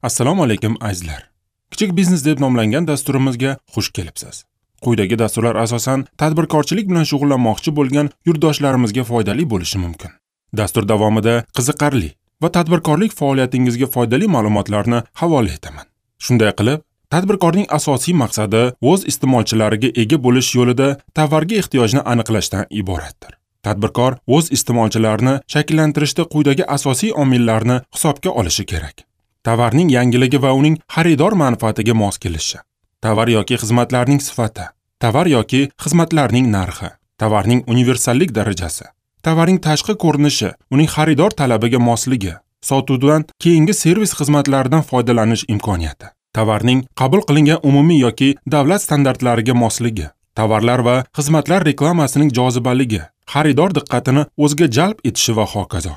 Assalomu alaykum azizlar. Kichik biznes deb nomlangan dasturimizga xush kelibsiz. Quyidagi dasturlar asosan tadbirkorchilik bilan shug'ullanmoqchi bo'lgan yurtdoshlarimizga foydali bo'lishi mumkin. Dastur davomida qiziqarli va tadbirkorlik faoliyatingizga foydali ma'lumotlarni havola etaman. Shunday qilib, tadbirkorning asosiy maqsadi o'z iste'molchilariga ega bo'lish yo'lida tovarga ehtiyojni aniqlashdan iboratdir. Tadbirkor o'z iste'molchilarini shakllantirishda quyidagi asosiy omillarni hisobga olishi kerak. Tovarning yangiligi va uning xaridor manfaatiga mos kelishi, tovar yoki xizmatlarning sifati, tovar yoki xizmatlarning narxi, tovarning universallik darajasi, tovarning tashqi ko'rinishi, uning xaridor talabiga mosligi, sotuvdan keyingi servis xizmatlaridan foydalanish imkoniyati, tovarning qabul qilingan umumiy yoki davlat standartlariga mosligi, tovarlar va xizmatlar reklamasining jozibaligi, xaridor diqqatini o'ziga jalb etishi va hokazo.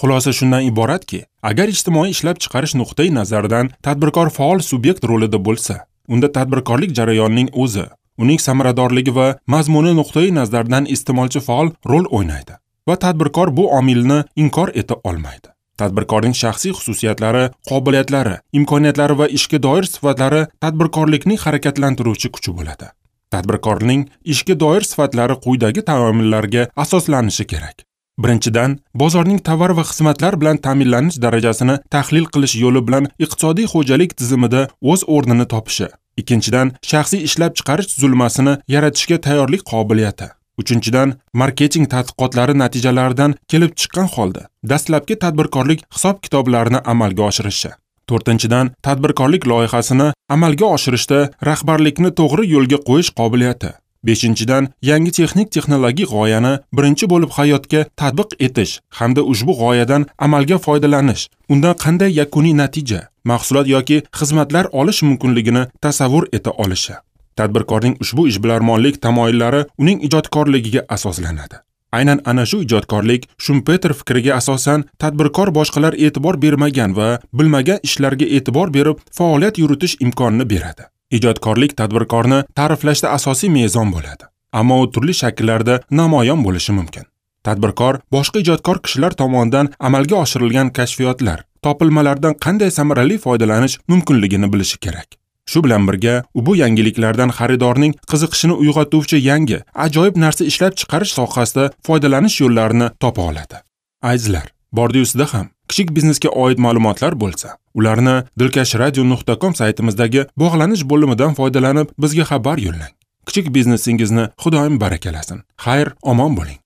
Xulosa shundan iboratki, agar ijtimoiy ishlab chiqarish nuqtai nazaridan tadbirkor faol subyekt rolida bo'lsa, unda tadbirkorlik jarayonining o'zi, uning samaradorligi va mazmuni nuqtai nazaridan iste'molchi faol rol o'ynaydi va tadbirkor bu omilni inkor eta olmaydi. Tadbirkorning shaxsiy xususiyatlari, qobiliyatlari, imkoniyatlari va ishga doir sifatlari tadbirkorlikning harakatlantiruvchi kuchi bo'ladi. Tadbirkorning ishga doir sifatlari quyidagi taomillarga asoslanishi kerak. Birinchidan, bozorning tovar va xizmatlar bilan ta'minlanish darajasini tahlil qilish yo'li bilan iqtisodiy xo'jalik tizimida o'z o'rnini topishi. Ikkinchidan, shaxsiy ishlab chiqarish tuzilmasini yaratishga tayyorlik qobiliyati. Uchinchidan, marketing tadqiqotlari natijalaridan kelib chiqqan holda dastlabki tadbirkorlik hisob-kitoblarini amalga oshirishi. To'rtinchidan, tadbirkorlik loyihasini amalga oshirishda rahbarlikni to'g'ri yo'lga qo'yish qobiliyati. Beshinchidan, yangi texnik texnologik g'oyani birinchi bo'lib hayotga tatbiq etish hamda ushbu g'oyadan amalga foydalanish, undan qanday yakuniy natija, mahsulot yoki xizmatlar olish mumkinligini tasavvur eta olishi. Tadbirkorning ushbu ishbilarmonlik tamoyillari uning ijodkorligiga asoslanadi. Aynan ana shu ijodkorlik Shumpeter fikriga asosan tadbirkor boshqalar e'tibor bermagan va bilmagan ishlarga e'tibor berib faoliyat yuritish imkonini beradi. Ijodkorlik tadbirkorni ta'riflashda asosiy mezon bo'ladi, ammo u turli shakllarda namoyon bo'lishi mumkin. Tadbirkor boshqa ijodkor kishilar tomonidan amalga oshirilgan kashfiyotlar, topilmalardan qanday samarali foydalanish mumkinligini bilishi kerak. Shu bilan birga, u bu yangiliklardan xaridorning qiziqishini uyg'otuvchi yangi, ajoyib narsa ishlab chiqarish sohasida foydalanish yo'llarini topa oladi. Azizlar, bordi-yusida ham kichik biznesga oid ma'lumotlar bo'lsa, ularni dilkashradio.com saytimizdagi bog'lanish bo'limidan foydalanib bizga xabar yo'llang. Kichik biznesingizni Xudoyim barakalasin. Xayr, omon bo'ling.